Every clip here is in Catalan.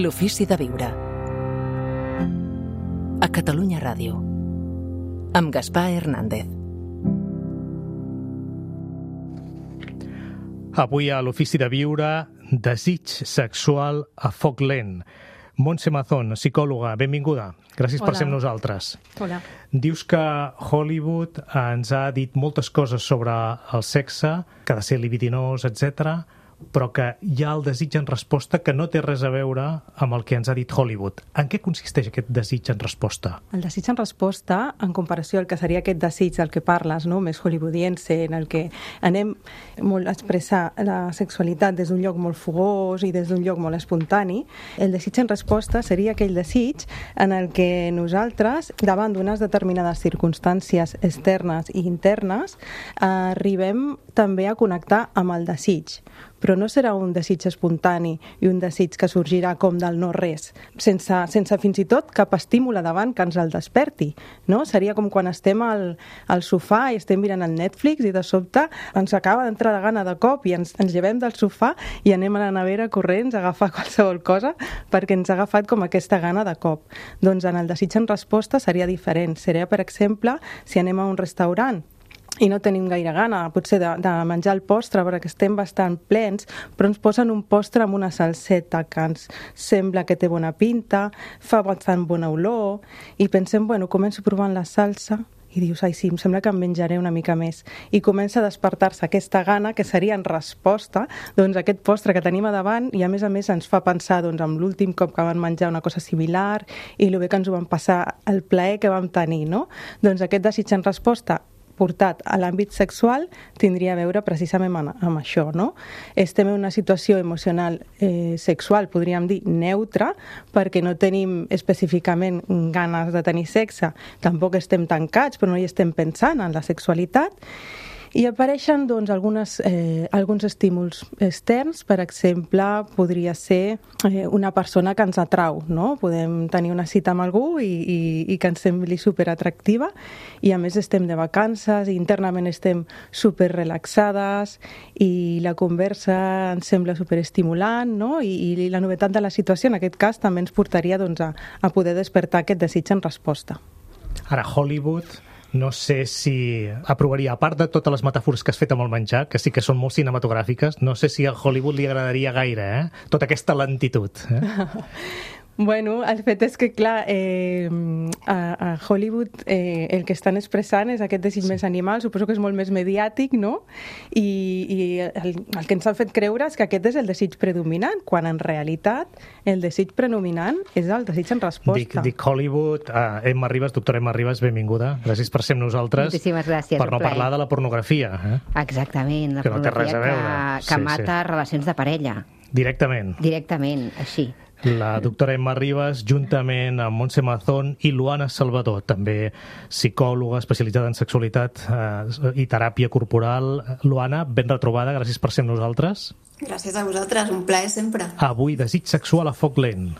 L'ofici de viure. A Catalunya Ràdio. Amb Gaspar Hernández. Avui a l'ofici de viure, desig sexual a foc lent. Montse Mazón, psicòloga, benvinguda. Gràcies per ser amb nosaltres. Hola. Dius que Hollywood ens ha dit moltes coses sobre el sexe, que ha de ser libidinós, etc., però que hi ha el desig en resposta que no té res a veure amb el que ens ha dit Hollywood. En què consisteix aquest desig en resposta? El desig en resposta, en comparació al que seria aquest desig del que parles, no? Més hollywoodiense, en el que anem molt a expressar la sexualitat des d'un lloc molt fogós i des d'un lloc molt espontani, el desig en resposta seria aquell desig en el que nosaltres, davant d'unes determinades circumstàncies externes i internes, arribem també a connectar amb el desig. Però no serà un desig espontani i un desig que sorgirà com del no-res, sense fins i tot cap estímul a davant que ens el desperti, no? Seria com quan estem al sofà i estem mirant el Netflix i de sobte ens acaba d'entrar la gana de cop i ens llevem del sofà i anem a la nevera corrents a agafar qualsevol cosa perquè ens ha agafat com aquesta gana de cop. Doncs en el desig en resposta seria diferent. Seria, per exemple, si anem a un restaurant i no tenim gaire gana, potser de menjar el postre perquè estem bastant plens, però ens posen un postre amb una salseta que ens sembla que té bona pinta, fa bastant bona olor, i pensem, bueno, començo provant la salsa, i dius, ai sí, em sembla que em menjaré una mica més. I comença a despertar-se aquesta gana que seria en resposta doncs, a aquest postre que tenim a davant i a més ens fa pensar doncs, en l'últim cop que vam menjar una cosa similar i el bé que ens ho vam passar, el plaer que vam tenir, no? Doncs aquest desig en resposta portat a l'àmbit sexual tindria a veure precisament amb això, no? Estem en una situació emocional sexual, podríem dir, neutra, perquè no tenim específicament ganes de tenir sexe, tampoc estem tancats, però no hi estem pensant en la sexualitat, i apareixen doncs, alguns estímuls externs. Per exemple, podria ser una persona que ens atrau, no? Podem tenir una cita amb algú i que ens sembli superatractiva i a més estem de vacances i internament estem superrelaxades i la conversa ens sembla superestimulant, no? I la novetat de la situació en aquest cas també ens portaria doncs, a poder despertar aquest desig en resposta. Ara, Hollywood, no sé si aprovaria, a part de totes les metàfores que has fet amb el menjar, que sí que són molt cinematogràfiques, no sé si a Hollywood li agradaria gaire, tota aquesta lentitud. Bueno, el fet és que, clar, a Hollywood el que estan expressant és aquest desig més animal, suposo que és molt més mediàtic, no? I el que ens han fet creure és que aquest és el desig predominant, quan en realitat el desig predominant és el desig en resposta. Dic Hollywood, Emma Ribas, doctora Emma Ribas, benvinguda. Gràcies per ser amb nosaltres. Moltíssimes gràcies. Per no parlar de la pornografia. Exactament, la que no té res a veure. Que mata relacions de parella. Directament. Directament, així. La doctora Emma Ribas, juntament amb Montse Mazón i Luana Salvador, també psicòloga especialitzada en sexualitat i teràpia corporal. Luana, ben retrobada, gràcies per ser amb nosaltres. Gràcies a vosaltres, un plaer sempre. Avui, desig sexual a foc lent.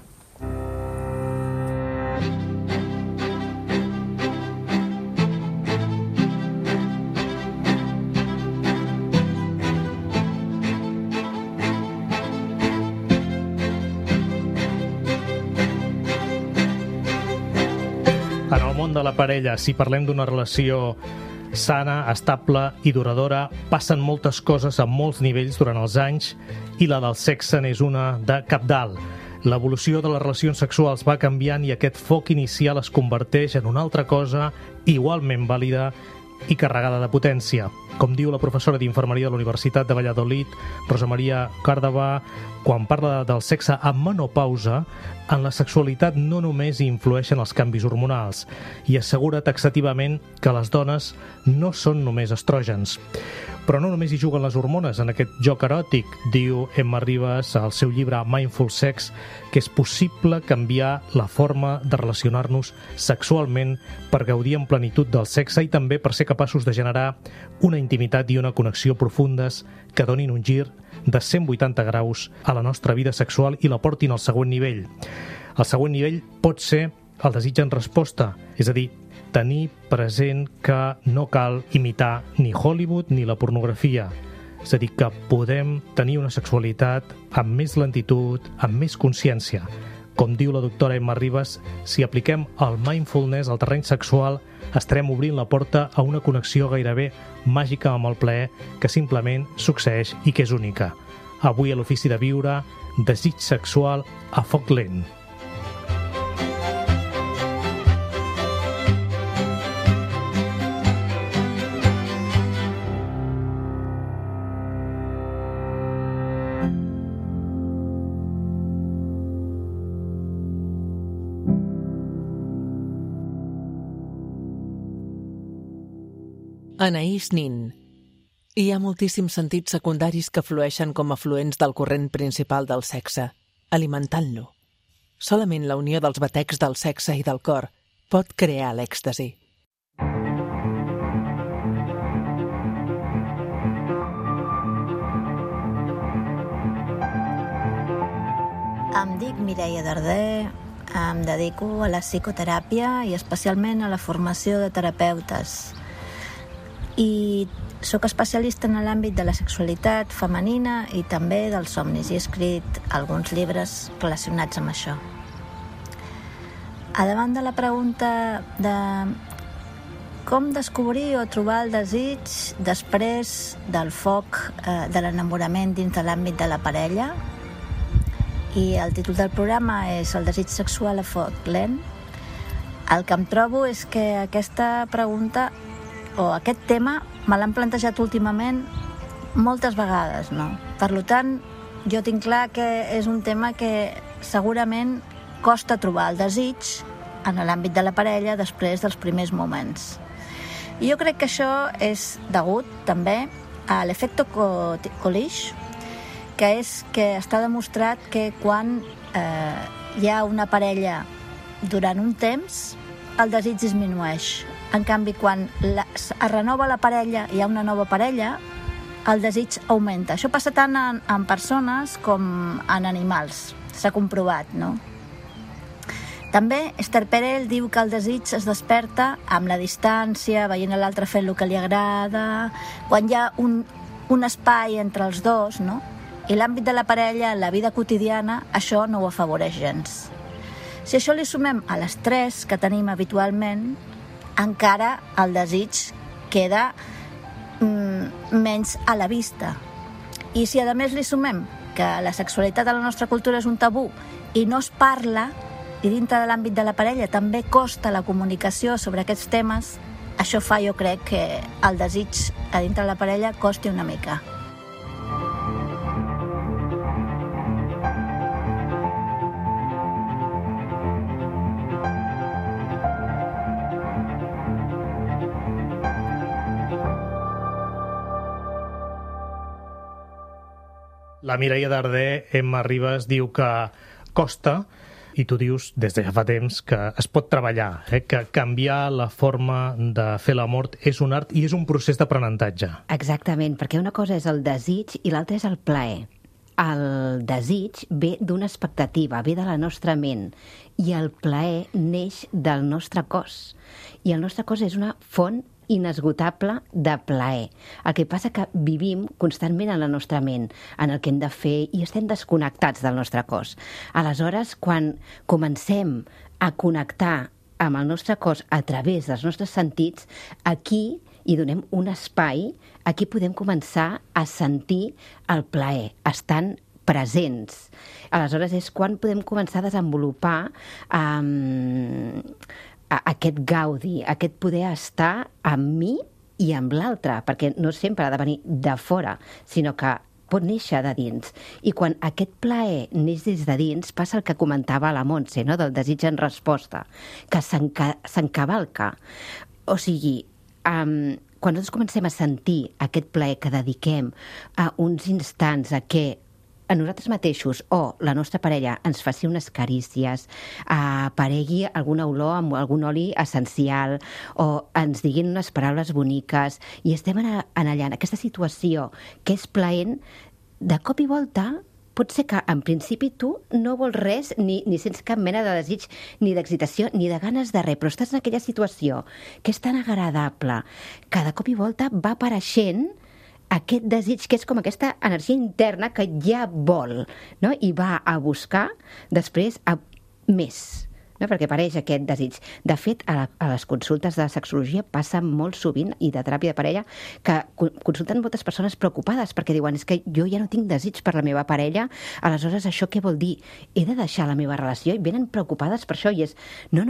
En el món de la parella, si parlem d'una relació sana, estable i duradora, passen moltes coses a molts nivells durant els anys i la del sexe n'és una de cabdal. L'evolució de les relacions sexuals va canviant i aquest foc inicial es converteix en una altra cosa igualment vàlida i carregada de potència. Com diu la professora d'infermeria de la Universitat de Valladolid, Rosa Maria Càrdava, quan parla del sexe amb menopausa, en la sexualitat no només hi influeixen els canvis hormonals i assegura taxativament que les dones no són només estrògens. Però no només hi juguen les hormones en aquest joc eròtic, diu Emma Ribas al seu llibre Mindful Sex, que és possible canviar la forma de relacionar-nos sexualment per gaudir en plenitud del sexe i també per ser capaços de generar una intimitat i una connexió profundes que donin un gir de 180 graus a la nostra vida sexual i la portin al següent nivell. El següent nivell pot ser el desig en resposta, és a dir, tenir present que no cal imitar ni Hollywood ni la pornografia. És a dir, que podem tenir una sexualitat amb més lentitud, amb més consciència. Com diu la doctora Emma Ribas, si apliquem el mindfulness al terreny sexual, estarem obrint la porta a una connexió gairebé màgica amb el plaer que simplement succeeix i que és única. Avui a l'Ofici de Viure, desig sexual a foc lent. Anaïs Nin. Hi ha moltíssims sentits secundaris que flueixen com a fluents del corrent principal del sexe, alimentant-lo. Solament la unió dels batecs del sexe i del cor pot crear l'èxtasi. Em dic Mireia Darder, em dedico a la psicoteràpia i especialment a la formació de terapeutes. I sóc especialista en l'àmbit de la sexualitat femenina i també dels somnis. He escrit alguns llibres relacionats amb això. A davant de la pregunta de com descobrir o trobar el desig després del foc de l'enamorament dins de l'àmbit de la parella, i el títol del programa és El desig sexual a foc lent, el que em trobo és que aquesta pregunta o aquest tema me l'han plantejat últimament moltes vegades, no? Per tant, jo tinc clar que és un tema que segurament costa trobar el desig en l'àmbit de la parella després dels primers moments. I jo crec que això és degut també a l'efecte Coolidge, que és que està demostrat que quan hi ha una parella durant un temps, el desig disminueix. En canvi, quan es renova la parella i hi ha una nova parella, el desig augmenta. Això passa tant en persones com en animals. S'ha comprovat, no? També Esther Perel diu que el desig es desperta amb la distància, veient l'altre fent el que li agrada, quan hi ha un espai entre els dos, no? I l'àmbit de la parella, en la vida quotidiana, això no ho afavoreix gens. Si això li sumem a l'estrès que tenim habitualment, encara el desig queda menys a la vista. I si a més li sumem que la sexualitat a la nostra cultura és un tabú i no es parla, i dintre de l'àmbit de la parella també costa la comunicació sobre aquests temes, això fa, jo crec, que el desig a dintre de la parella costi una mica. La Mireia Darder, Emma Ribas, diu que costa, i tu dius des de ja fa temps que es pot treballar, que canviar la forma de fer l'amor és un art i és un procés d'aprenentatge. Exactament, perquè una cosa és el desig i l'altra és el plaer. El desig ve d'una expectativa, ve de la nostra ment, i el plaer neix del nostre cos. I el nostre cos és una font inesgotable de plaer. El que passa que vivim constantment en la nostra ment, en el que hem de fer, i estem desconnectats del nostre cos. Aleshores, quan comencem a connectar amb el nostre cos a través dels nostres sentits, aquí hi donem un espai, aquí podem començar a sentir el plaer, estant presents. Aleshores és quan podem començar a desenvolupar aquest gaudi, aquest poder estar amb mi i amb l'altre, perquè no sempre ha de venir de fora, sinó que pot néixer de dins. I quan aquest plaer neix des de dins, passa el que comentava la Montse, no? Del desig en resposta, que s'encavalca. O sigui, quan nosaltres comencem a sentir aquest plaer que dediquem a uns instants a què a nosaltres mateixos o la nostra parella ens faci unes carícies, aparegui alguna olor amb algun oli essencial o ens diguin unes paraules boniques i estem allà, en aquesta situació que és plaent, de cop i volta pot ser que en principi tu no vols res ni sents cap mena de desig ni d'excitació ni de ganes de res, però estàs en aquella situació que és tan agradable que de cop i volta va apareixent aquest desig que és com aquesta energia interna que ja vol, no? I va a buscar després a més, no? Perquè apareix aquest desig. De fet, a les consultes de sexologia passa molt sovint, i de teràpia de parella, que consulten moltes persones preocupades perquè diuen, és que jo ja no tinc desig per la meva parella, aleshores això què vol dir? He de deixar la meva relació? I venen preocupades per això, i és, no,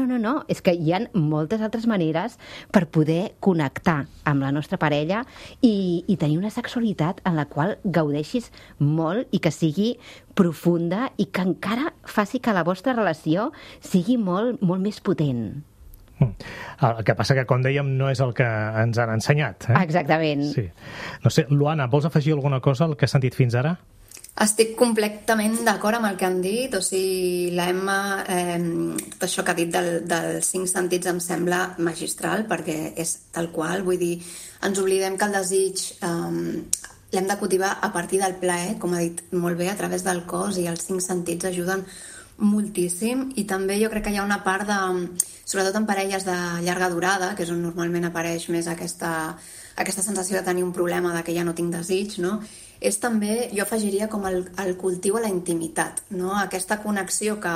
és que hi ha moltes altres maneres per poder connectar amb la nostra parella i tenir una sexualitat en la qual gaudeixis molt i que sigui profunda i que encara faci que la vostra relació sigui molt, molt més potent. El que passa que, com dèiem, no és el que ens han ensenyat. Exactament. Sí. No sé, Luana, vols afegir alguna cosa al que has sentit fins ara? Estic completament d'acord amb el que han dit, o sigui, la Emma, tot això que ha dit dels 5 sentits em sembla magistral, perquè és tal qual, vull dir, ens oblidem que el desig l'hem de cultivar a partir del plaer, com ha dit molt bé, a través del cos, i els 5 sentits ajuden moltíssim, i també jo crec que hi ha una part de, sobretot en parelles de llarga durada, que és on normalment apareix més aquesta sensació de tenir un problema, de que ja no tinc desig, no? És també, jo afegiria com el cultiu a la intimitat, no? Aquesta connexió que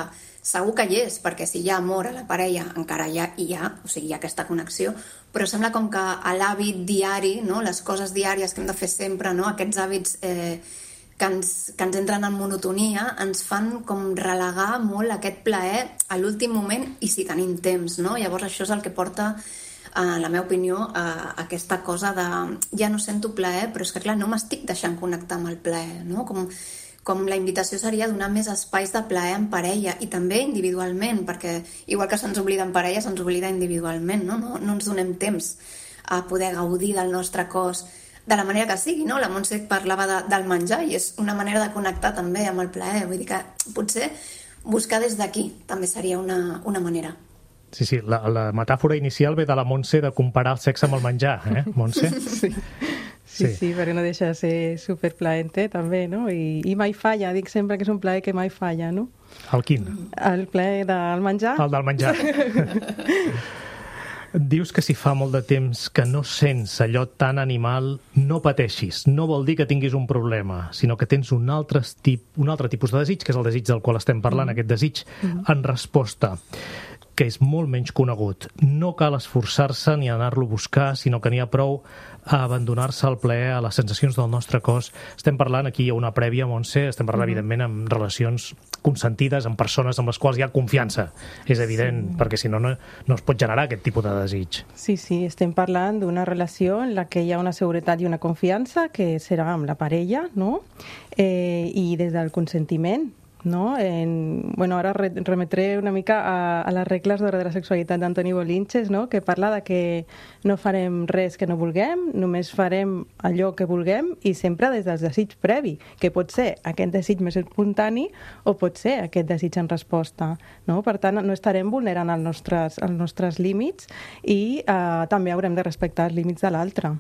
segur que hi és, perquè si hi ha amor a la parella encara hi ha, o sigui, hi ha aquesta connexió, però sembla com que l'hàbit diari, no? Les coses diàries que hem de fer sempre, no? Aquests hàbits que ens entren en monotonia, ens fan com relegar molt aquest plaer a l'últim moment, i si tenim temps, no? Llavors això és el que porta, en la meva opinió, a aquesta cosa de ja no sento plaer, però és que clar, no m'estic deixant connectar amb el plaer, no? Com la invitació seria donar més espais de plaer en parella, i també individualment, perquè igual que se'ns oblida en parella, se'ns oblida individualment, no? No ens donem temps a poder gaudir del nostre cos de la manera que sigui, no? La Montse parlava del menjar, i és una manera de connectar també amb el plaer, vull dir que potser buscar des d'aquí també seria una manera. Sí, la metàfora inicial ve de la Montse de comparar el sexe amb el menjar, Montse? Sí, perquè no deixa de ser superplaenter també, no? I mai falla, dic sempre que és un plaer que mai falla, no? El quin? El plaer del menjar. El del menjar. Dius que si fa molt de temps que no sents allò tan animal, no pateixis. No vol dir que tinguis un problema, sinó que tens un altre tipus de desig, que és el desig del qual estem parlant, aquest desig en resposta, que és molt menys conegut. No cal esforçar-se ni anar-lo a buscar, sinó que n'hi ha prou a abandonar-se al plaer, a les sensacions del nostre cos. Estem parlant, aquí hi ha una prèvia, Montse, estem parlant, evidentment, amb relacions consentides, amb persones amb les quals hi ha confiança. És evident, perquè si no es pot generar aquest tipus de desig. Sí, estem parlant d'una relació en la que hi ha una seguretat i una confiança, que serà amb la parella, no? I des del consentiment, no? Ara remetré una mica a les regles d'ordre de la sexualitat d'Antoni Bolinches, no? Que parla de que no farem res que no vulguem, només farem allò que vulguem, i sempre des del desig previ, que pot ser aquest desig més espontani o pot ser aquest desig en resposta, no? Per tant, no estarem vulnerant els nostres límits, i també haurem de respectar els límits de l'altre.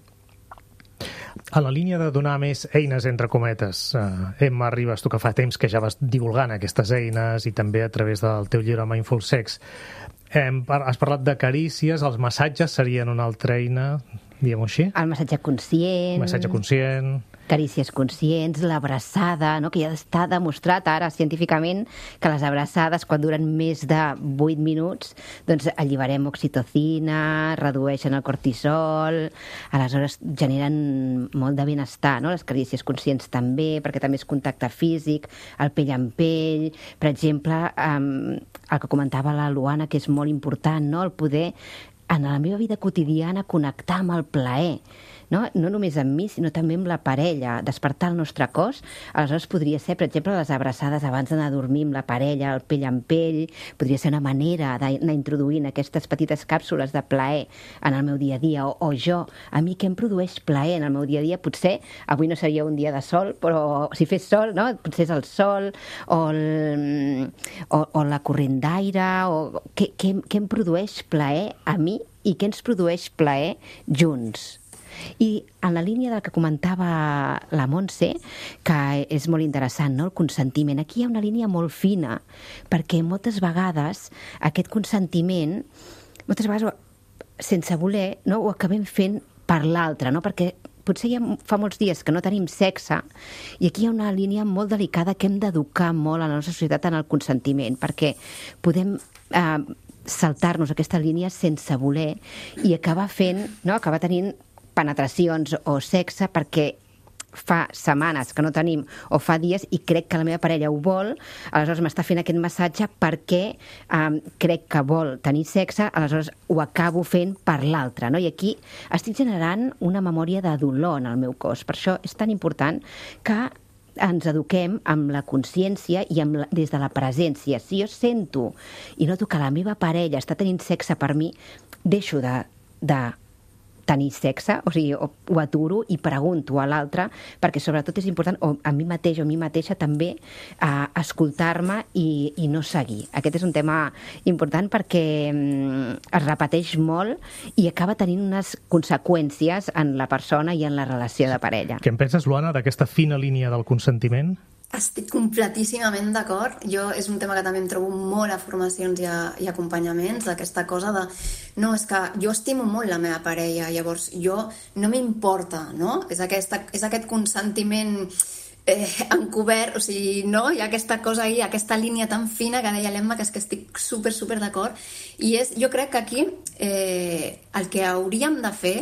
A la línia de donar més eines, entre cometes, Emma Ribas, tu que fa temps que ja vas divulgant aquestes eines, i també a través del teu llibre Mindful Sex, has parlat de carícies, els massatges serien una altra eina, diguem-ho així? El massatge conscient. Massatge conscient. Carícies conscients, l'abraçada, no? Que ja està demostrat ara científicament que les abraçades, quan duren més de 8 minuts, doncs alliberem oxitocina, redueixen el cortisol, aleshores generen molt de benestar, no? Les carícies conscients també, perquè també és contacte físic, el pell amb pell. Per exemple, el que comentava la Luana, que és molt important, no? El poder, en la meva vida quotidiana, connectar amb el plaer. No només amb mi, sinó també amb la parella, despertar el nostre cos. Aleshores podria ser, per exemple, les abraçades abans d'anar a dormir amb la parella, el pell amb pell, podria ser una manera d'anar introduint aquestes petites càpsules de plaer en el meu dia a dia, o jo, a mi què em produeix plaer en el meu dia a dia? Potser avui no seria un dia de sol, però si fes sol, no? Potser és el sol, o la corrent d'aire, o què em produeix plaer a mi i què ens produeix plaer junts. I en la línia del que comentava la Montse, que és molt interessant, no? El consentiment. Aquí hi ha una línia molt fina, perquè moltes vegades aquest consentiment, moltes vegades sense voler, no? Ho acabem fent per l'altre, no? Perquè potser ja fa molts dies que no tenim sexe, i aquí hi ha una línia molt delicada que hem d'educar molt a la nostra societat en el consentiment, perquè podem saltar-nos aquesta línia sense voler i acabar tenint penetracions o sexe perquè fa setmanes que no tenim o fa dies i crec que la meva parella ho vol, aleshores m'està fent aquest massatge perquè crec que vol tenir sexe, aleshores ho acabo fent per l'altre, no? I aquí estic generant una memòria de dolor en el meu cos. Per això és tan important que ens eduquem amb la consciència i des de la presència. Si jo sento i noto que la meva parella està tenint sexe per mi, deixo de tenir sexe, o sigui, ho aturo i pregunto a l'altre, perquè sobretot és important, o a mi mateix o a mi mateixa també, escoltar-me i no seguir. Aquest és un tema important perquè es repeteix molt i acaba tenint unes conseqüències en la persona i en la relació de parella. Què en penses, Luana, d'aquesta fina línia del consentiment? Estic completíssimament d'acord. És un tema que també em trobo molt a formacions i acompanyaments, d'aquesta cosa de no, és que jo estimo molt la meva parella, llavors jo no m'importa, no? És aquest consentiment encobert, o sigui, no? Hi ha aquesta cosa ahí, aquesta línia tan fina que deia l'Emma, que és que estic super d'acord, i jo crec que aquí el que hauríem de fer,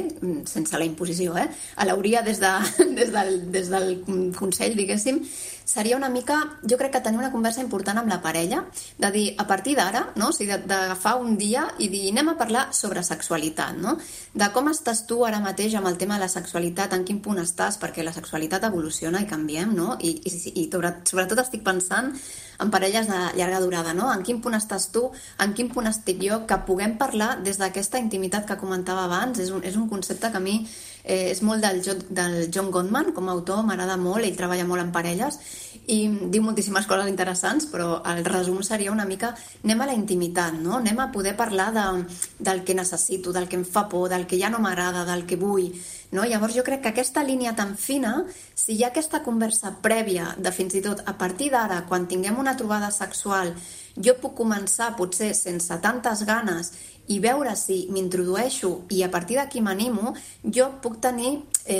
sense la imposició, l'hauria des del Consell, diguéssim, seria una mica, jo crec que tenir una conversa important amb la parella, de dir, a partir d'ara, no? O sigui, d'agafar un dia i dir, anem a parlar sobre sexualitat, no? De com estàs tu ara mateix amb el tema de la sexualitat, en quin punt estàs, perquè la sexualitat evoluciona i canviem, no? I sobretot estic pensant en parelles de llarga durada, no? En quin punt estàs tu, en quin punt estic jo, que puguem parlar des d'aquesta intimitat que comentava abans. És un concepte que a mi és molt del John Gottman, com a autor, m'agrada molt, ell treballa molt en parelles i diu moltíssimes coses interessants, però el resum seria una mica, anem a la intimitat, no? Anem a poder parlar del que necessito, del que em fa por, del que ja no m'agrada, del que vull, no? Llavors jo crec que aquesta línia tan fina, si hi ha aquesta conversa prèvia de fins i tot a partir d'ara, quan tinguem una trobada sexual, jo puc començar potser sense tantes ganes i veure si m'introdueixo i a partir d'aquí m'animo, jo puc tenir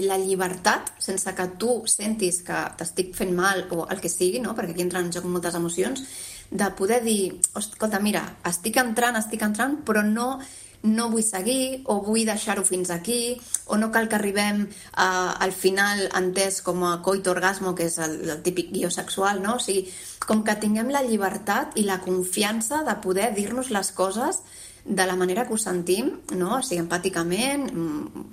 la llibertat, sense que tu sentis que t'estic fent mal o el que sigui, no? Perquè aquí entren en joc moltes emocions, de poder dir, escolta, mira, estic entrant, però no vull seguir, o vull deixar-ho fins aquí, o no cal que arribem al final entès com a coito orgasmo, que és el típic guió sexual, no? O sigui, com que tinguem la llibertat i la confiança de poder dir-nos les coses de la manera que ho sentim, no? O sigui, empàticament,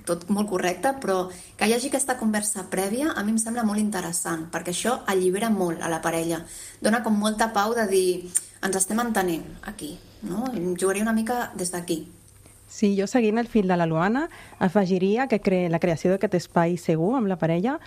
tot molt correcte, però que hi hagi aquesta conversa prèvia a mi em sembla molt interessant, perquè això allibera molt a la parella. Dona com molta pau de dir, ens estem entenent aquí, no? Jugaria una mica des d'aquí. Sí, jo seguint el fil de la Luana afegiria que la creació d'aquest espai segur amb la parella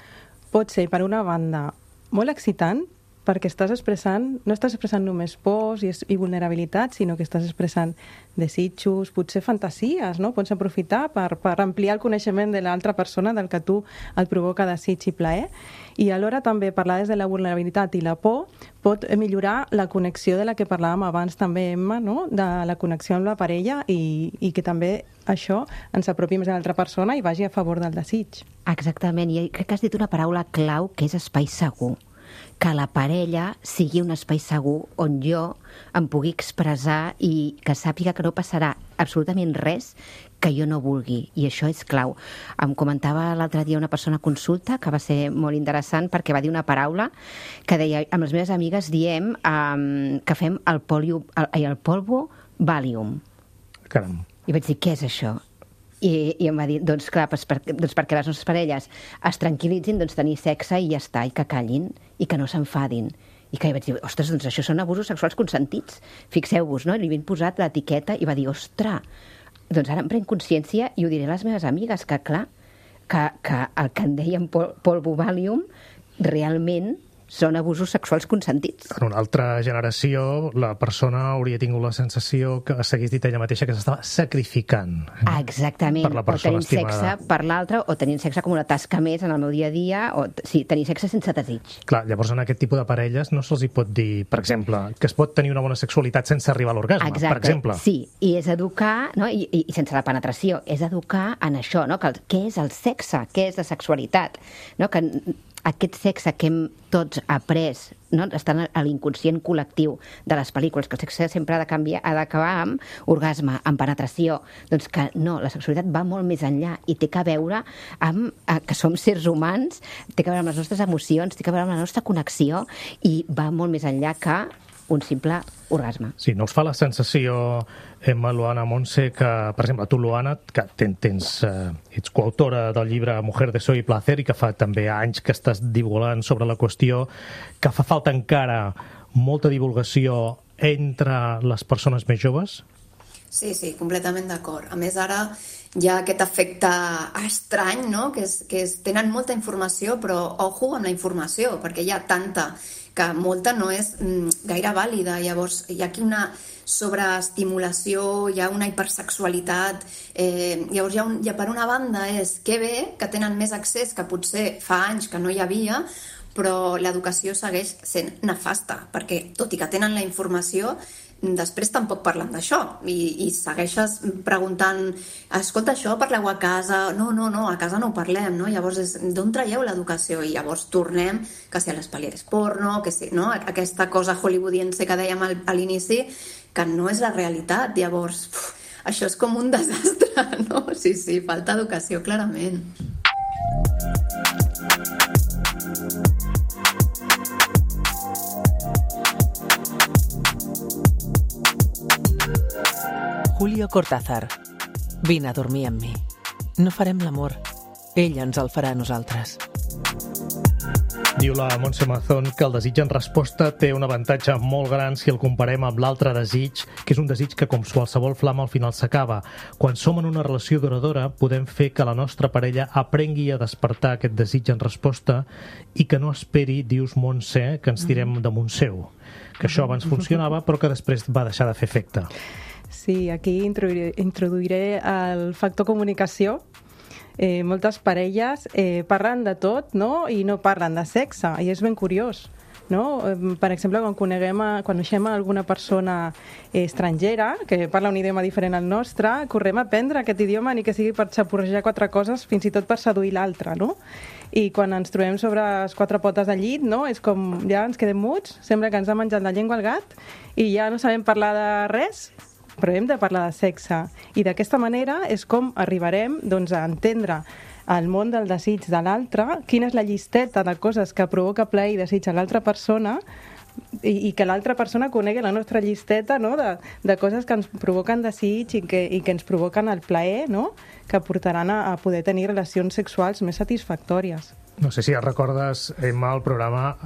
pot ser, per una banda, molt excitant, perquè no estàs expressant només pors i vulnerabilitat, sinó que estàs expressant desitjos, potser fantasies, no? Pots aprofitar per ampliar el coneixement de l'altra persona del que tu et provoca desig i plaer, i alhora també parlar des de la vulnerabilitat i la por pot millorar la connexió de la que parlàvem abans també, Emma, no? De la connexió amb la parella i que també això ens apropi més a l'altra persona i vagi a favor del desig. Exactament, i crec que has dit una paraula clau que és espai segur. Que la parella sigui un espai segur on jo em pugui expressar i que sàpiga que no passarà absolutament res que jo no vulgui, i això és clau. Em comentava l'altre dia una persona a consulta que va ser molt interessant perquè va dir una paraula que deia, amb les meves amigues diem que fem el polvo Valium. Caram. I vaig dir, què és això? I em va dir, doncs clar, perquè les nostres parelles es tranquil·litzin, doncs tenir sexe i ja està, i que callin, i que no s'enfadin. I que vaig dir, ostres, doncs això són abusos sexuals consentits. Fixeu-vos, no? I li havien posat l'etiqueta i va dir, ostres, doncs ara em prenc consciència i ho diré a les meves amigues, que clar, que el que en deien polvo Valium realment són abusos sexuals consentits. En una altra generació, la persona hauria tingut la sensació que s'hagués dit ella mateixa que s'estava sacrificant. Exactament, per la persona o tenint estimada. sexe per l'altre, o tenint sexe com una tasca més en el meu dia a dia, o sí, tenir sexe sense desig. Clar, llavors en aquest tipus de parelles no se'ls hi pot dir, per exemple, que es pot tenir una bona sexualitat sense arribar a l'orgasme, per exemple. Sí, i és educar, no? I sense la penetració, és educar en això, no? Què és el sexe, què és la sexualitat, no? Que aquest sexe que hem tots après, no? Està a l'inconscient col·lectiu de les pel·lícules, que el sexe sempre ha d'acabar amb orgasme, amb penetració. Doncs que no, la sexualitat va molt més enllà i té que veure amb que som sérs humans, té que veure amb les nostres emocions, té que veure amb la nostra connexió i va molt més enllà que un simple orgasme. Sí, no us fa la sensació, Emma, Luana, Montse, que, per exemple, tu, Luana, que ets coautora del llibre Mujer, Deseo y Placer i que fa també anys que estàs divulgant sobre la qüestió, que fa falta encara molta divulgació entre les persones més joves? Sí, completament d'acord. A més, ara hi ha aquest efecte estrany, no? Que tenen molta informació, però ojo amb la informació, perquè hi ha tanta que molta no és gaire vàlida. Llavors, hi ha aquí una sobreestimulació, hi ha una hipersexualitat. Llavors, per una banda, és que bé que tenen més accés que potser fa anys que no hi havia, però l'educació segueix sent nefasta, perquè tot i que tenen la informació, després tampoc parlen d'això i segueixes preguntant, escolta, això parleu a casa? No, a casa no ho parlem, no? Llavors d'on traieu l'educació? I llavors tornem que si a les pel·lícules porno, que si, no? Aquesta cosa hollywoodiense que dèiem a l'inici, que no és la realitat. Llavors, això és com un desastre, no? Sí, falta educació, clarament. Julio Cortázar. Vine a dormir amb mi. No farem l'amor. Ell ens el farà a nosaltres. Diu la Montse Mazón que el desig en resposta té un avantatge molt gran si el comparem amb l'altre desig, que és un desig que, com qualsevol flama, al final s'acaba. Quan som en una relació duradora, podem fer que la nostra parella aprengui a despertar aquest desig en resposta i que no esperi, dius, Montse, que ens tirem damunt seu. Que això abans funcionava, però que després va deixar de fer efecte. Sí, aquí introduiré el factor comunicació. Moltes parelles parlen de tot, no? I no parlen de sexe, i és ben curiós, no? Per exemple, quan coneixem alguna persona estrangera que parla un idioma diferent al nostre, correm a aprendre aquest idioma, ni que sigui per xapurrejar 4 coses, fins i tot per seduir l'altre, no? I quan ens trobem sobre les 4 potes del llit, no? És com, ja ens quedem muts, sembla que ens ha menjat la llengua el gat i ja no sabem parlar de res, però hem de parlar de sexe. I d'aquesta manera és com arribarem, doncs, a entendre el món del desig de l'altre, quina és la llisteta de coses que provoca plaer i desig a l'altra persona, i que l'altra persona conegui la nostra llisteta, no? de coses que ens provoquen desig i que ens provoquen el plaer, no? Que portaran a poder tenir relacions sexuals més satisfactòries. No sé si recordes, Emma, el programa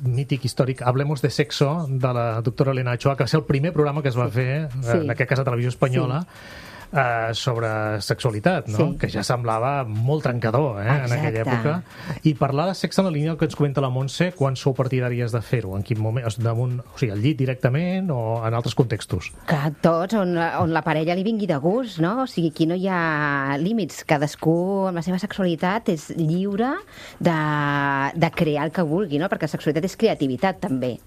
mític històric Hablemos de Sexo, de la doctora Elena Ochoa, que va ser el primer programa que es va fer, en aquest cas a Televisió Espanyola, sobre sexualitat, no? Sí. Que ja semblava molt trencador, en aquella època. I parlar de sexe en la línia que ens comenta la Montse, quan sou partidàries de fer-ho? En quin moment? O sigui, al llit directament o en altres contextos? Que tots, on la parella li vingui de gust, no? O sigui, aquí no hi ha límits. Cadascú amb la seva sexualitat és lliure de crear el que vulgui, no? Perquè la sexualitat és creativitat, també.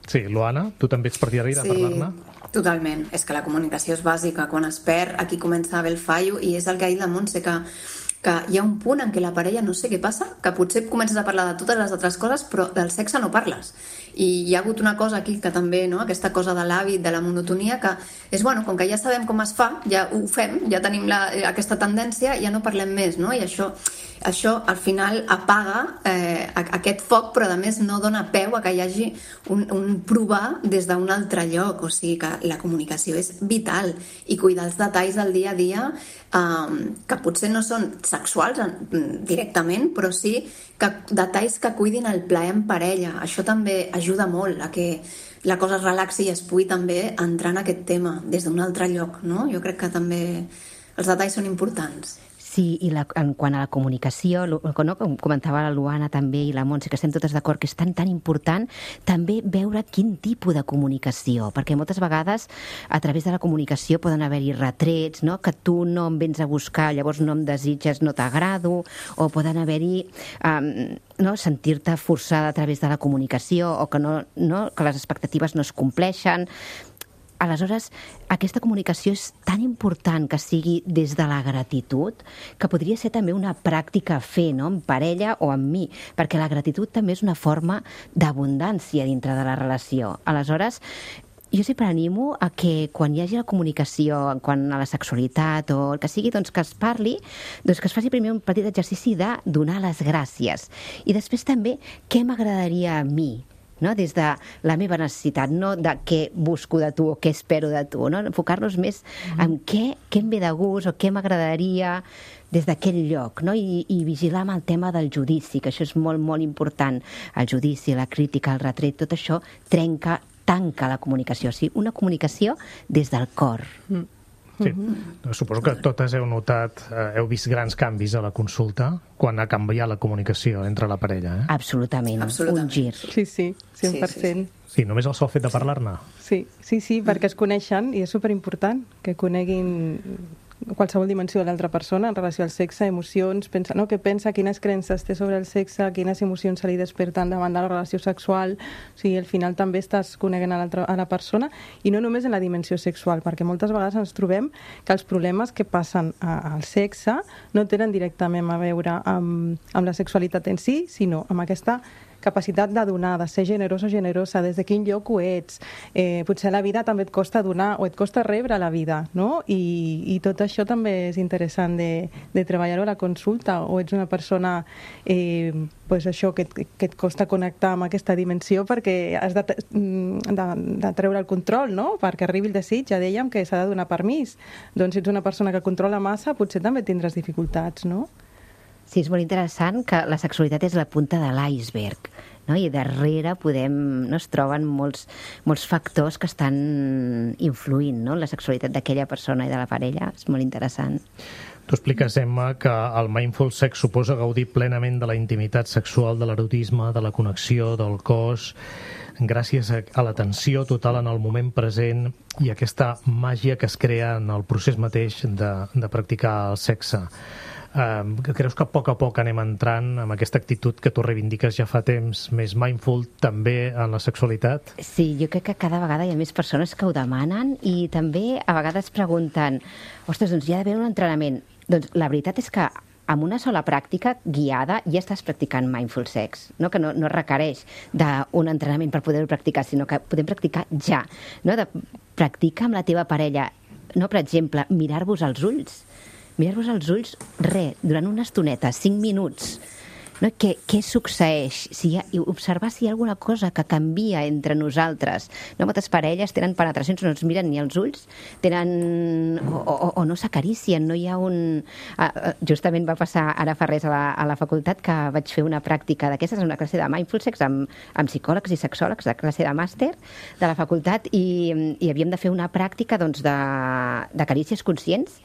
Sí, Luana, tu també ets partidària de parlar-ne? Totalment. És que la comunicació és bàsica. Quan es perd, aquí comença a haver el fallo, i és el que ha dit la Montse, que hi ha un punt en què la parella no sé què passa, que potser comences a parlar de totes les altres coses, però del sexe no parles. I hi ha hagut una cosa aquí que també, no? Aquesta cosa de l'hàbit, de la monotonia, que és, bueno, com que ja sabem com es fa, ja ho fem, ja tenim aquesta tendència, ja no parlem més, no? I això al final apaga aquest foc, però a més no dona peu a que hi hagi un provar des d'un altre lloc. O sigui que la comunicació és vital, i cuidar els detalls del dia a dia, que potser no són sexuals directament, però sí que detalls que cuidin el plaer en parella. Això també ajuda molt a que la cosa es relaxi i es pugui també entrar en aquest tema des d'un altre lloc, no? Jo crec que també els detalls són importants. Sí, Sí, i en quant a la comunicació, com comentava la Luana també i la Montse, que estem totes d'acord que és tan important també veure quin tipus de comunicació, perquè moltes vegades a través de la comunicació poden haver-hi retrets, no? Que tu no em vens a buscar, llavors no em desitges, no t'agrado, o poden haver-hi sentir-te forçada a través de la comunicació o que que les expectatives no es compleixen. Aleshores, aquesta comunicació és tan important que sigui des de la gratitud que podria ser també una pràctica a fer, no? En parella o amb mi, perquè la gratitud també és una forma d'abundància dintre de la relació. Aleshores, jo sempre animo a que quan hi hagi la comunicació en quant a la sexualitat o el que sigui, doncs que es parli, doncs que es faci primer un petit exercici de donar les gràcies. I després també què m'agradaria a mi, no? Des de la meva necessitat, no de què busco de tu o què espero de tu, no? Enfocar-nos més en què em ve de gust o què m'agradaria des d'aquell lloc, no? I vigilar amb el tema del judici, que això és molt, molt important. El judici, la crítica, el retret, tot això tanca la comunicació, o sigui, una comunicació des del cor. Sí, suposo que totes heu notat, heu vist grans canvis a la consulta quan ha canviat la comunicació entre la parella, Absolutament, un gir. Sí, 100%. Sí, només el sol fet de parlar-ne. Sí, perquè es coneixen i és superimportant que coneguin qualsevol dimensió de l'altra persona en relació al sexe, emocions, què pensa, quines creences té sobre el sexe, quines emocions se li desperten davant de la relació sexual. O sigui, al final també estàs coneguent a la persona i no només en la dimensió sexual, perquè moltes vegades ens trobem que els problemes que passen al sexe no tenen directament a veure amb la sexualitat en si, sinó amb aquesta capacitat de donar, de ser generós o generosa, des de quin lloc ho ets. Potser la vida també et costa donar o et costa rebre la vida, no? I tot això també és interessant de treballar-ho a la consulta, o ets una persona això que et costa connectar amb aquesta dimensió perquè has de treure el control, no? Perquè arribi el desig, ja dèiem que s'ha de donar permís. Doncs si ets una persona que controla massa, potser també tindràs dificultats, no? Sí, és molt interessant que la sexualitat és la punta de l'iceberg, no? I darrere es troben molts factors que estan influint, no? La sexualitat d'aquella persona i de la parella. És molt interessant. Tu expliques, Emma, que el mindful sex suposa gaudir plenament de la intimitat sexual, de l'erotisme, de la connexió, del cos, gràcies a l'atenció total en el moment present i aquesta màgia que es crea en el procés mateix de practicar el sexe. Creus que a poc anem entrant amb aquesta actitud que tu reivindiques ja fa temps, més mindful també en la sexualitat? Sí, jo crec que cada vegada hi ha més persones que ho demanen i també a vegades pregunten ostres, doncs hi ha d'haver un entrenament. Doncs la veritat és que amb una sola pràctica guiada ja estàs practicant mindful sex, no? Que no requereix d'un entrenament per poder-ho practicar, sinó que podem practicar ja, no? Practica amb la teva parella, no? Per exemple, mirar-vos als ulls, durant una estoneta, 5 minuts, no? Què succeeix? Observar si hi ha alguna cosa que canvia entre nosaltres. No? Moltes parelles tenen penetracions, no es miren ni els ulls, o no s'acaricien, no hi ha un... Justament va passar ara fa res a la facultat que vaig fer una pràctica d'aquestes, una classe de mindful sex amb psicòlegs i sexòlegs, la classe de màster de la facultat, i havíem de fer una pràctica de carícies conscients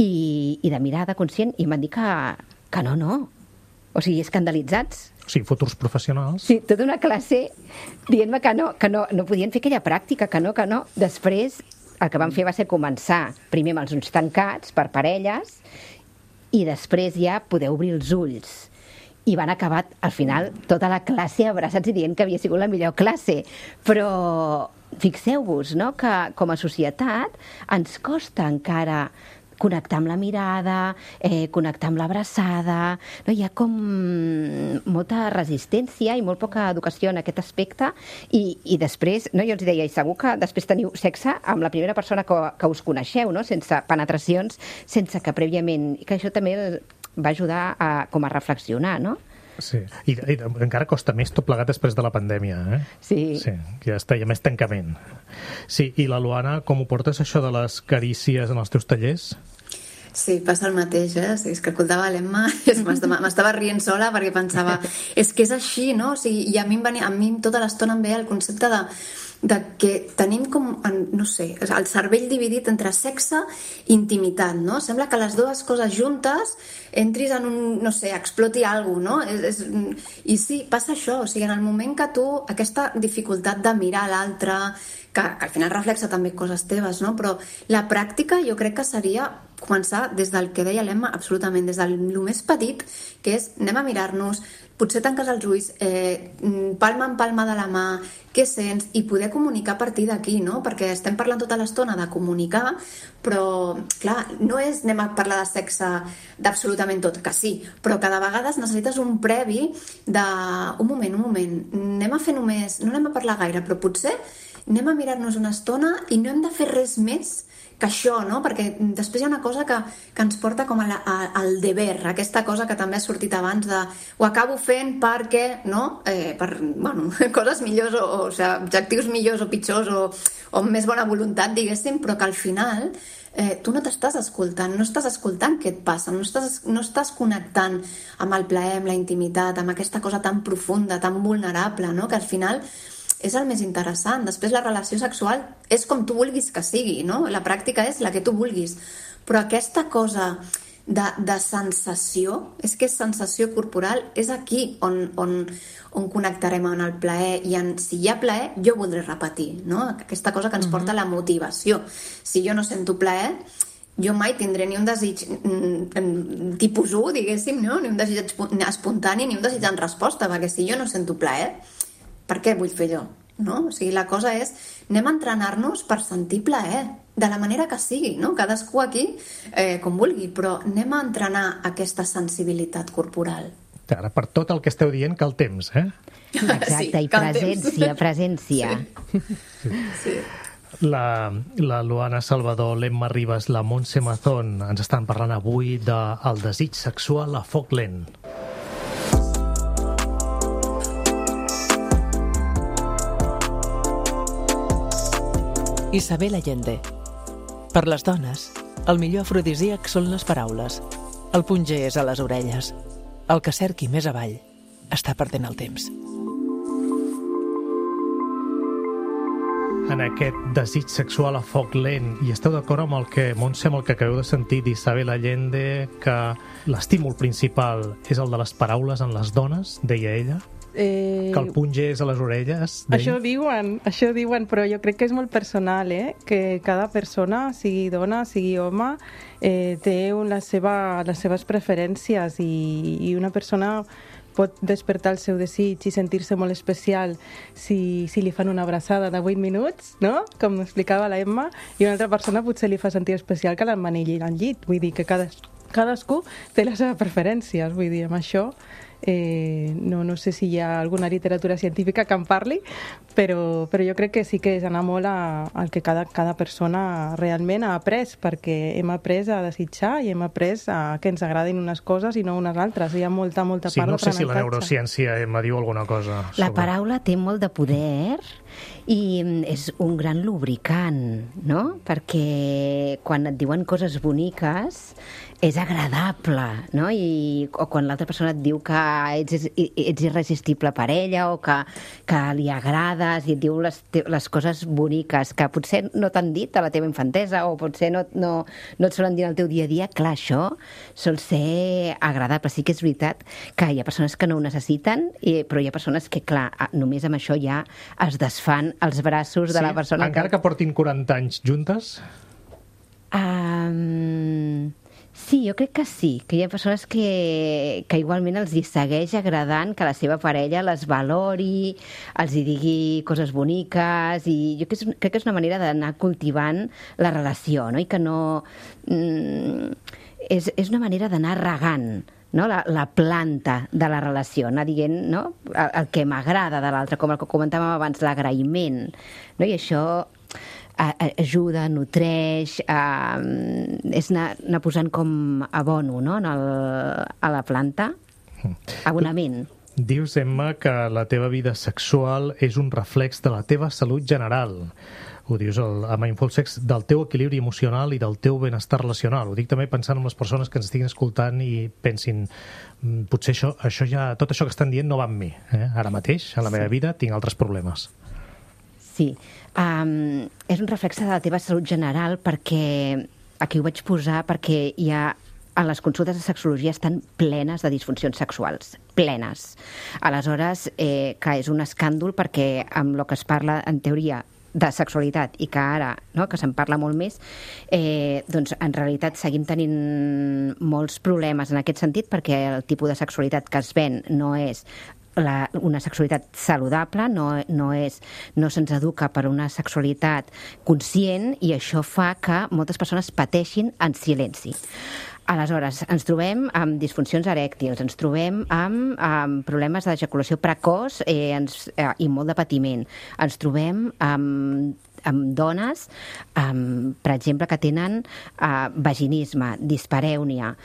i de mirada conscient, i em van dir que no. O sigui, escandalitzats. Sí, futurs professionals. Sí, tota una classe dient-me que no podien fer aquella pràctica, que no. Després, el que vam fer va ser començar primer amb els ulls tancats per parelles i després ja poder obrir els ulls. I van acabar, al final, tota la classe abraçats i dient que havia sigut la millor classe. Però fixeu-vos, no?, que com a societat ens costa encara connectar amb la mirada, connectar amb l'abraçada, no? Hi ha com molta resistència i molt poca educació en aquest aspecte i després, no, jo els deia, i segur que després teniu sexe amb la primera persona que us coneixeu, no? Sense penetracions, sense que prèviament, que això també va ajudar com a reflexionar, no? Sí, i encara costa més tot plegat després de la pandèmia, eh? Sí. Sí, ja està, hi ha més tancament. Sí, i la Luana, com ho portes això de les carícies en els teus tallers? Sí, passa el mateix, eh? Sí, és que escoltava l'Emma i m'estava rient sola perquè pensava, és que és així, no? O sigui, i a mi tota l'estona em ve el concepte de que tenim com, no sé, el cervell dividit entre sexe i intimitat, no? Sembla que les dues coses juntes entris en un, no sé, exploti alguna cosa, no? I sí, passa això, o sigui, en el moment que tu, aquesta dificultat de mirar l'altre, que al final reflexa també coses teves, no? Però la pràctica jo crec que seria començar des del que deia l'Emma, absolutament, des del més petit, que és anem a mirar-nos, potser tanques els ulls, palma en palma de la mà, què sents, i poder comunicar a partir d'aquí, no? Perquè estem parlant tota l'estona de comunicar, però, clar, no és anem a parlar de sexe d'absolutament tot, que sí, però que de vegades necessites un previ de un moment, anem a fer només, no anem a parlar gaire, però potser anem a mirar-nos una estona i no hem de fer res més que això, no? Perquè després hi ha una cosa que ens porta com al deber, aquesta cosa que també ha sortit abans de ho acabo fent perquè, no? Per, bueno, coses millors o sigui, objectius millors o pitjors o amb més bona voluntat, diguéssim, però que al final tu no t'estàs escoltant, no estàs escoltant què et passa, no estàs connectant amb el plaer, amb la intimitat, amb aquesta cosa tan profunda, tan vulnerable, no? Que al final és el més interessant. Després la relació sexual és com tu vulguis que sigui, no? La pràctica és la que tu vulguis. Però aquesta cosa de sensació, és que és sensació corporal, és aquí on connectarem en el plaer i si hi ha plaer, jo voldré repetir, no? Aquesta cosa que ens porta a la motivació. Si jo no sento plaer, jo mai tindré ni un desig tipus 1, diguéssim, no? Ni un desig espontani, ni un desig en resposta, perquè si jo no sento plaer, per què vull fer allò? No? O sigui, la cosa és, anem a entrenar-nos per sentir plaer, de la manera que sigui, no? Cadascú aquí com vulgui, però anem a entrenar aquesta sensibilitat corporal. Ara, per tot el que esteu dient, cal temps, eh? Exacte, sí, i presència. Sí. La Luana Salvador, l'Emma Ribas, la Montse Mazón ens estan parlant avui del desig sexual a foc lent. Isabel Allende. Per les dones, el millor afrodisíac són les paraules. El punter és a les orelles. El que cerqui més avall està perdent el temps. En aquest desig sexual a foc lent, i esteu d'acord amb el que, Montse, amb el que acabeu de sentir d'Isabel Allende, que l'estímul principal és el de les paraules en les dones, deia ella? Que el punter és a les orelles? Això diuen, però jo crec que és molt personal, que cada persona, sigui dona, sigui home, té les seves preferències i una persona pot despertar el seu desig i sentir-se molt especial si li fan una abraçada de 8 minuts, no? Com explicava la Emma, i una altra persona potser li fa sentir especial que l'emmanilli al llit. Vull dir que cadascú té les seves preferències, vull dir, amb això no sé si hi ha alguna literatura científica que en parli, però jo crec que sí que és anar molt al que cada persona realment ha après, perquè hem après a desitjar i hem après que ens agradin unes coses i no unes altres. Hi ha molta part d'aprenentatge. No sé si la neurociència me diu alguna cosa sobre... La paraula té molt de poder i és un gran lubricant, no? Perquè quan et diuen coses boniques és agradable, no? O quan l'altra persona et diu que ets irresistible per ella o que li agrades i et diu les coses boniques que potser no t'han dit a la teva infantesa o potser no et solen dir al teu dia a dia, clar, això sol ser agradable. Sí que és veritat que hi ha persones que no ho necessiten, però hi ha persones que, clar, només amb això ja es desfan els braços de la persona. Encara que portin 40 anys juntes? Sí, jo crec que sí, que hi ha persones que igualment els hi segueix agradant que la seva parella les valori, els hi digui coses boniques, i jo crec que és una manera d'anar cultivant la relació, no? I que no... És una manera d'anar regant, no? La planta de la relació, anar dient, no? El que m'agrada de l'altre, com el que comentàvem abans, l'agraïment, no? I això ajuda, nutreix, és anar posant com abono, no? A la planta, abonament. Dius, Emma, que la teva vida sexual és un reflex de la teva salut general. Ho dius a Mindful Sex, del teu equilibri emocional i del teu benestar relacional. Ho dic també pensant en les persones que ens estiguin escoltant i pensin, potser tot això que estan dient no va amb mi. Ara mateix, a la meva vida, tinc altres problemes. Sí. És un reflex de la teva salut general perquè, aquí ho vaig posar, perquè hi ha a les consultes de sexologia estan plenes de disfuncions sexuals, plenes. Aleshores, clar, és un escàndol perquè amb el que es parla en teoria de sexualitat i que ara, no, que se'n parla molt més, doncs en realitat seguim tenint molts problemes en aquest sentit perquè el tipus de sexualitat que es ven no és una sexualitat saludable, no se'ns educa per una sexualitat conscient i això fa que moltes persones pateixin en silenci. Aleshores, ens trobem amb disfuncions erèctils, ens trobem amb problemes d'ejaculació precoç i molt de patiment. Ens trobem amb dones, per exemple, que tenen vaginisme, disparèunia,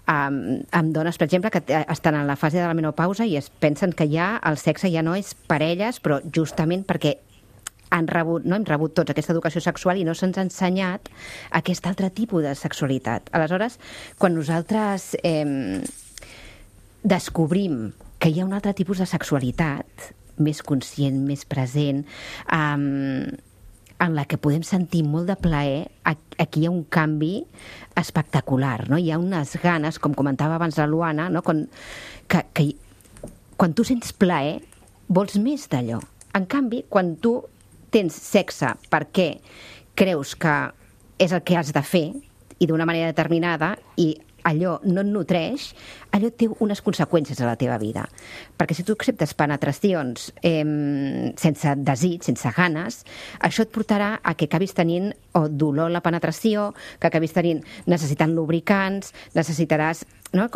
amb dones, per exemple, que estan en la fase de la menopausa i es pensen que ja el sexe ja no és per elles, però justament perquè hem rebut tots aquesta educació sexual i no se'ns ha ensenyat aquest altre tipus de sexualitat. Aleshores, quan nosaltres descobrim que hi ha un altre tipus de sexualitat més conscient, més present, en la que podem sentir molt de plaer, aquí hi ha un canvi espectacular, no? Hi ha unes ganes, com comentava abans la Luana, no? que quan tu sents plaer, vols més d'allò. En canvi, quan tu tens sexe perquè creus que és el que has de fer i d'una manera determinada i allò no et nutreix, allò té unes conseqüències a la teva vida. Perquè si tu acceptes penetracions sense desig, sense ganes, això et portarà a que acabis tenint dolor a la penetració, que acabis necessitant lubricants, necessitaràs, no?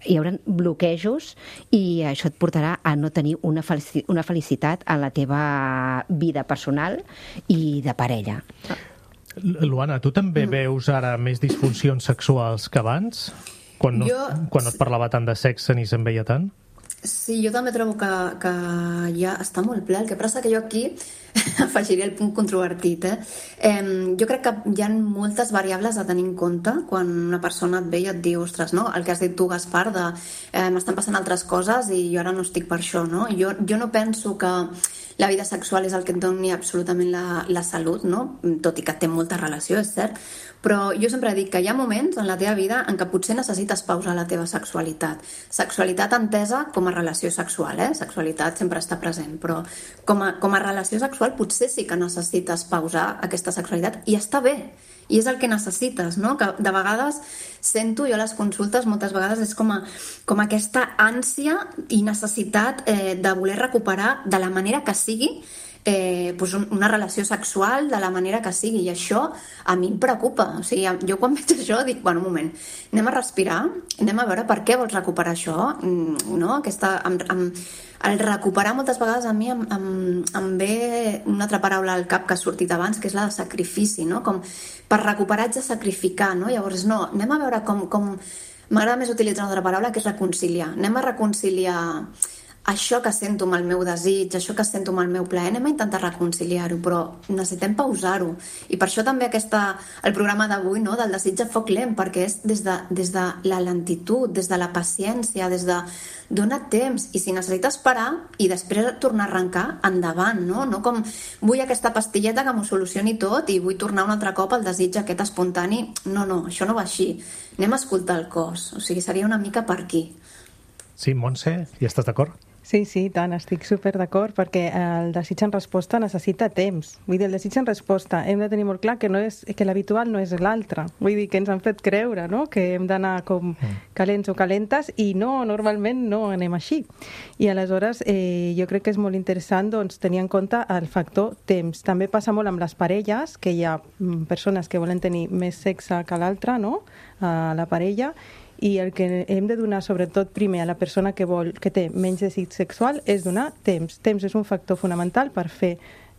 Hi haurà bloquejos i això et portarà a no tenir una felicitat en la teva vida personal i de parella. Luana, tu també veus ara més disfuncions sexuals que abans? Quan no es parlava tant de sexe ni se'n veia tant? Sí, jo també trobo que ja està molt ple. El que passa que jo aquí afegiria el punt controvertit. Jo crec que hi ha moltes variables a tenir en compte quan una persona et ve i et diu, ostres, no? El que has dit tu, Gaspar, de m'estan passant altres coses i jo ara no estic per això, no? Jo no penso que la vida sexual és el que et doni absolutament la salut, no? Tot i que té molta relació, és cert, però jo sempre dic que hi ha moments en la teva vida en què potser necessites pausar la teva sexualitat. Sexualitat entesa com a relació sexual, Sexualitat sempre està present, però com a relació sexual potser sí que necessites pausar aquesta sexualitat i està bé, i és el que necessites, no? Que de vegades sento jo a les consultes, moltes vegades és com aquesta ànsia i necessitat de voler recuperar de la manera que sigui una relació sexual de la manera que sigui, i això a mi em preocupa. O sigui, jo quan veig això dic, bueno, un moment, anem a respirar, anem a veure per què vols recuperar això, no? El recuperar moltes vegades a mi em ve una altra paraula al cap que ha sortit abans, que és la de sacrifici, no? Com per recuperar haig de sacrificar, no? Llavors, no, anem a veure com... M'agrada més utilitzar una altra paraula, que és reconciliar. Anem a reconciliar això que sento amb el meu desig, això que sento amb el meu plaer, anem a intentar reconciliar-ho, però necessitem pausar-ho. I per això també el programa d'avui, no, del desig a foc lent, perquè és des de la lentitud, des de la paciència, des de donar temps, i si necessites parar i després tornar a arrencar, endavant, no? No com vull aquesta pastilleta que m'ho solucioni tot i vull tornar un altre cop al desig aquest espontani. No, això no va així. Anem a escoltar el cos, o sigui, seria una mica per aquí. Sí, Montse, hi estàs d'acord? Sí, tant, estic super d'acord, perquè el desig en resposta necessita temps. Vull dir, el desig en resposta hem de tenir molt clar que l'habitual no és l'altre. Vull dir, que ens han fet creure, no?, que hem d'anar com calents o calentes, i no, normalment no anem així. I aleshores jo crec que és molt interessant tenir en compte el factor temps. També passa molt amb les parelles, que hi ha persones que volen tenir més sexe que l'altra, no?, a la parella, i el que hem de donar sobretot primer a la persona que té menys desig sexual és donar temps. Temps és un factor fonamental per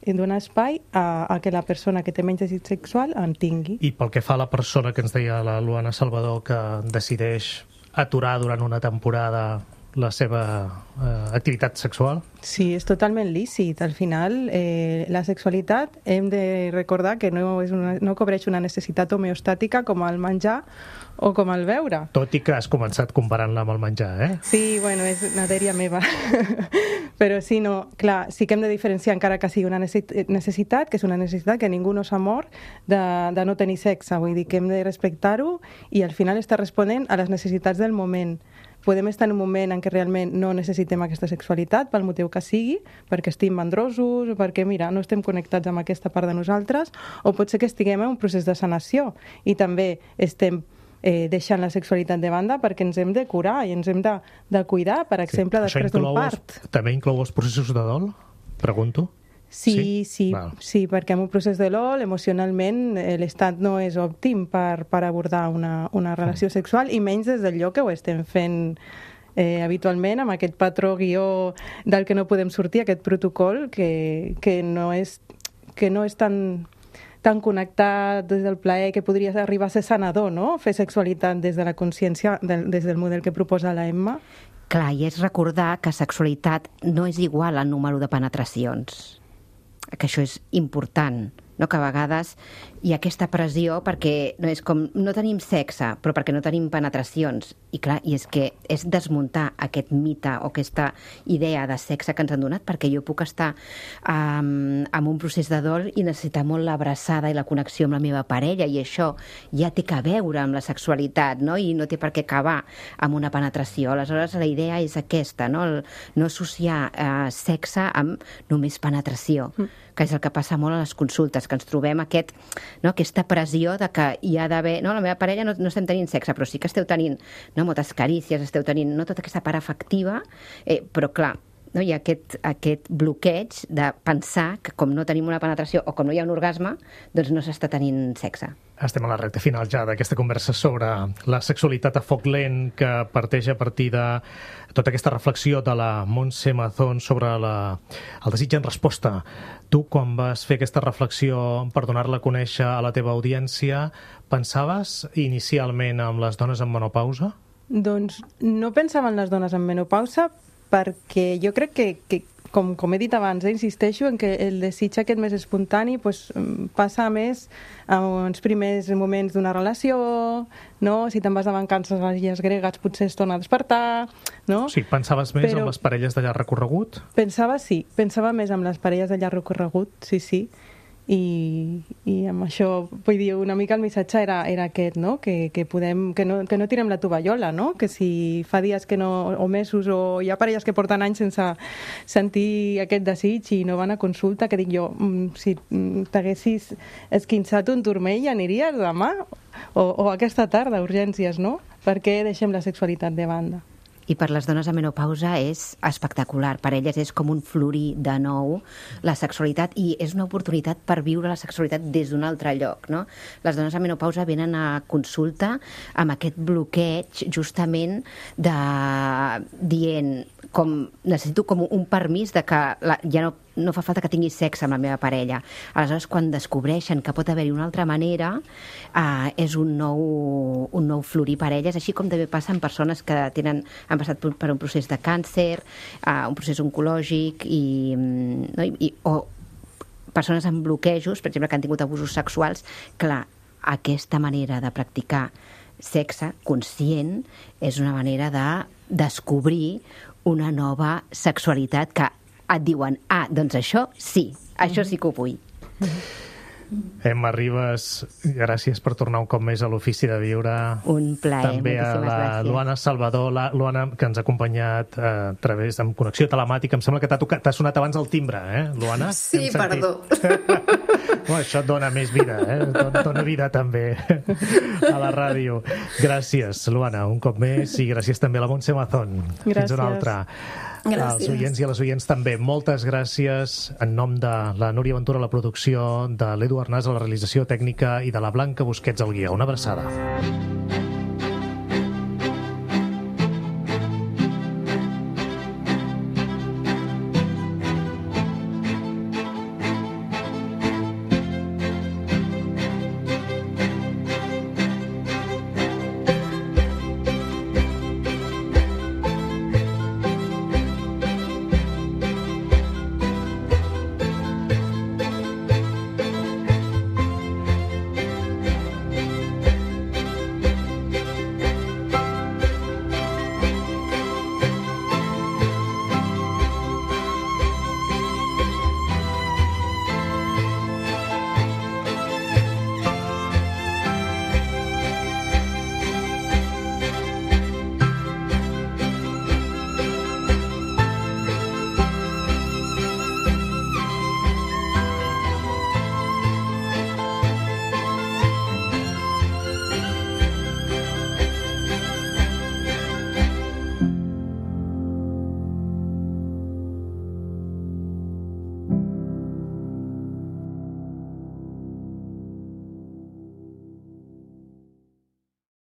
donar espai a que la persona que té menys desig sexual en tingui. I pel que fa a la persona que ens deia la Luana Salvador, que decideix aturar durant una temporada la seva activitat sexual? Sí, és totalment lícit. Al final, la sexualitat hem de recordar que no cobreix una necessitat homeostàtica com el menjar o com el beure. Tot i que has començat comparant-la amb el menjar, eh? Sí, bueno, és una dèria meva. Però sí, no, clar, sí que hem de diferenciar, encara que sigui una necessitat, que és una necessitat que ningú no s'ha mort de no tenir sexe. Vull dir que hem de respectar-ho i al final està responent a les necessitats del moment. Podem estar en un moment en què realment no necessitem aquesta sexualitat, pel motiu que sigui, perquè estem mandrosos, o perquè, mira, no estem connectats amb aquesta part de nosaltres, o pot ser que estiguem en un procés de sanació i també estem deixant la sexualitat de banda perquè ens hem de curar i ens hem de cuidar, per exemple, després d'un part. També inclou els processos de dol? Pregunto. Sí, perquè en un procés de dol, emocionalment, l'estat no és òptim per abordar una relació sexual, i menys des del lloc que ho estem fent habitualment, amb aquest patró guió del que no podem sortir, aquest protocol que no és tan connectat des del plaer, que podria arribar a ser sanador, no? Fer sexualitat des de la consciència, des del model que proposa la Emma. Clar, i és recordar que sexualitat no és igual al número de penetracions, que això és important, no? Que a vegades hi ha aquesta pressió perquè no és com no tenim sexe, però perquè no tenim penetracions. I clar, i és que és desmuntar aquest mite o aquesta idea de sexe que ens han donat, perquè jo puc estar en un procés de dol i necessitar molt l'abraçada i la connexió amb la meva parella, i això ja té que veure amb la sexualitat, no? I no té per què acabar amb una penetració. Aleshores, la idea és aquesta, no? No associar sexe amb només penetració, que és el que passa molt a les consultes, que ens trobem aquesta pressió de que hi ha d'haver... No, la meva parella no estem tenint sexe, però sí que esteu tenint moltes carícies, esteu tenint tota aquesta part afectiva, però clar, hi ha aquest bloqueig de pensar que com no tenim una penetració o com no hi ha un orgasme, doncs no s'està tenint sexe. Estem a la recta final ja d'aquesta conversa sobre la sexualitat a foc lent, que parteix a partir de tota aquesta reflexió de la Montse Mazón sobre el desig en resposta. Tu, quan vas fer aquesta reflexió per donar-la a conèixer a la teva audiència, pensaves inicialment en les dones en menopausa? Doncs no pensava en les dones en menopausa, perquè jo crec que com he dit abans, insisteixo en que el desig aquest més espontani passa més en els primers moments d'una relació, no? Si te'n vas de vacances a les illes gregues potser es torna a despertar, no? Sí, pensaves més en les parelles de llarg recorregut? Pensava més en les parelles de llarg recorregut, sí. I amb això, vull dir, una mica el missatge era aquest, no? Que no tirem la tovallola, no? Que si fa dies o mesos, o hi ha parelles que porten anys sense sentir aquest desig i no van a consulta, que dic jo, si t'haguessis esquinçat un turmell aniries demà o aquesta tarda, urgències, no? Per què deixem la sexualitat de banda? I per les dones a menopausa és espectacular. Per elles és com un florir de nou la sexualitat, i és una oportunitat per viure la sexualitat des d'un altre lloc, no? Les dones a menopausa venen a consulta amb aquest bloqueig justament dient necessito com un permís de que ja no fa falta que tingui sexe amb la meva parella. Aleshores, quan descobreixen que pot haver-hi una altra manera, és un nou florir per elles, així com també passa en persones que han passat per un procés de càncer, un procés oncològic, o persones amb bloquejos, per exemple, que han tingut abusos sexuals. Clar, aquesta manera de practicar sexe conscient és una manera de descobrir una nova sexualitat que et diuen, doncs això sí que ho vull. Emma Ribas, gràcies per tornar un cop més a l'Ofici de Viure. Un plaer, també a la Luana Salvador, Luana, que ens ha acompanyat a través amb connexió telemàtica. Em sembla que t'ha sonat abans el timbre, Luana? Sí, perdó. Això et dona més vida, dona vida també a la ràdio. Gràcies, Luana, un cop més, i gràcies també a la Montse Mazón. Gràcies. Fins una altra. Gràcies. Als oients i a les oients també, moltes gràcies en nom de la Núria Ventura a la producció, de l'Edu Arnàs a la realització tècnica i de la Blanca Busquets al guió. Una abraçada.